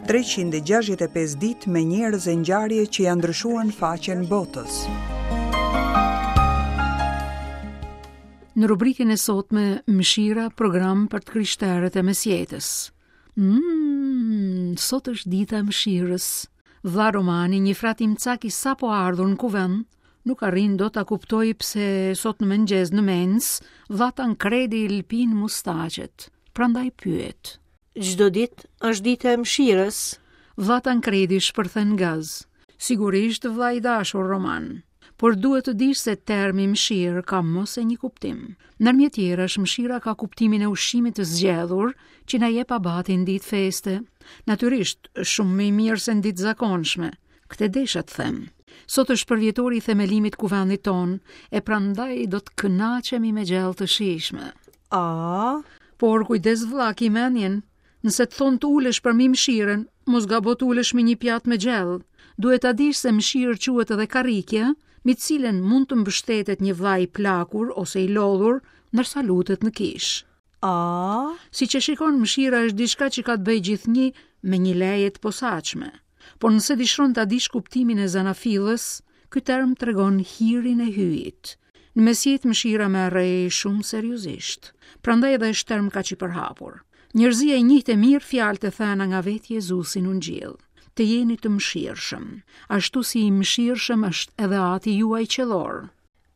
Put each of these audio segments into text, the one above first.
365 ditë me njerëz e ngjarje që ia ndryshuan faqen botës. Në rubrikën e sotme Mëshira, program për të krishterët e mesjetës. Mm, sot është dita e mëshirës. Vlla Romani, një frat imcak i sapoardhur në kuvend, nuk arrin dot ta kuptojë pse sot në mëngjes në mensë, vlla Tankredi i lëpin mustaqet. Prandaj pyet. Çdo ditë është dita e mëshirës. Vlla Tankredi shpërthen gaz. Sigurisht vlla i dashur Roman. Por duhet të dish se termi mëshirë ka më se një kuptim. Ndërmjet tjerash, mëshira ka kuptimin e ushqimit të zgjedhur që na jep abati në ditë feste. Natyrisht, shumë më i mirë se në ditë zakonshme. Këtë desha të them. Sot është përvjetori i themelimit të kuvendit tonë, e prandaj do të kënaqemi me gjellë të shijshme. A, Por kujdes vlla, ki mendjen, Nëse të thonë të ulesh përmi mëshirën, mos gabo të ulesh mbi një pjatë me gjellë. Duhet ta dish se mëshirë quhet edhe karrikja, mbi të cilën mund të mbështetet një vlla i plakur ose i lodhur, ndërsa lutet në kishë. A, Siç e shikon, mëshira është diçka që ka të bëjë gjithnjë me një leje të posaçme. Por nëse dëshiron ta dish kuptimin e zanafillës, ky term tregon hirin e Hyjit. Në mesjetë mëshira merrej shumë seriozisht, prandaj edhe është term kaq i përhapur. Njerëzia i njihte mirë fjalët e thëna nga vetë Jezusi në Ungjill. Të jeni të mëshirshëm, ashtu si i mëshirshëm është edhe Ati juaj qiellor.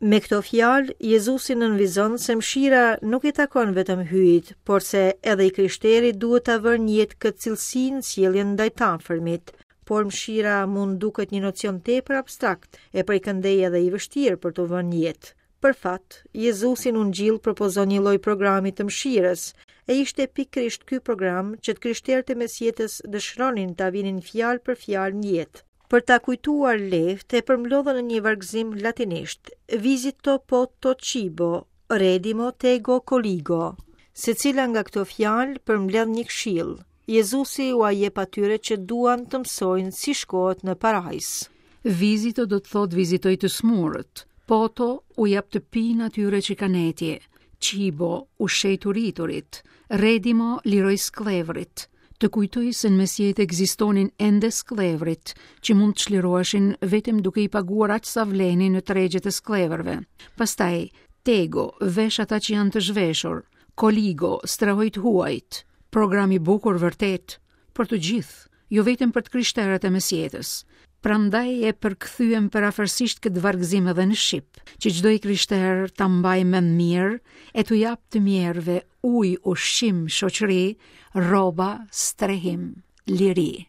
Me këto fjalë, Jezusi nënvizon se mëshira nuk i takon vetëm Hyjit, por se edhe i krishteri duhet ta vërë në jetë këtë cilësi në sjelljen ndaj të afërmit. Por mëshira mund duket një nocion tepër abstrakt e prej këndej edhe i vështirë për t'u vënë në jetë. Për fat, Jezusi në Ungjill propozon një lloj programi të mëshirës, e ishte pikërisht ky program që të krishterët e mesjetës dëshironin ta vinin fjalë për fjalë në jetë. Për ta kujtuar lehtë, e përmblodhën në një vargëzim latinisht, Visito poto cibo, redimo tego colligo. Secila nga këto fjalë përmbledh një këshillë. Jezusi ua jep atyre që duan të mësojnë si shkohet në parajsë. Visito do të thotë vizitoj të smurët. Poto u jap të pinë atyre që kanë etje. Cibo ushqej të uriturit. Redimo liroj skllevërit. Të kujtoj se në mesjetë ekzistonin ende skllevërit, që mund të çliroheshin vetëm duke i paguar aq sa vlenin në tregjet e skllevërve. Pastaj, Tego, vesh ata që janë të zhveshur, Colligo, strehoj të huajt. Program i bukur vërtet, për të gjithë, jo vetëm për të krishterët e mesjetës. Prandaj e përkthyem përafërsisht këtë vargëzim edhe në shqip, që çdo i krishterë ta mbajë mend mirë e t'u japë të mjerëve ujë, ushqim, shoqëri, rroba, strehim, liri.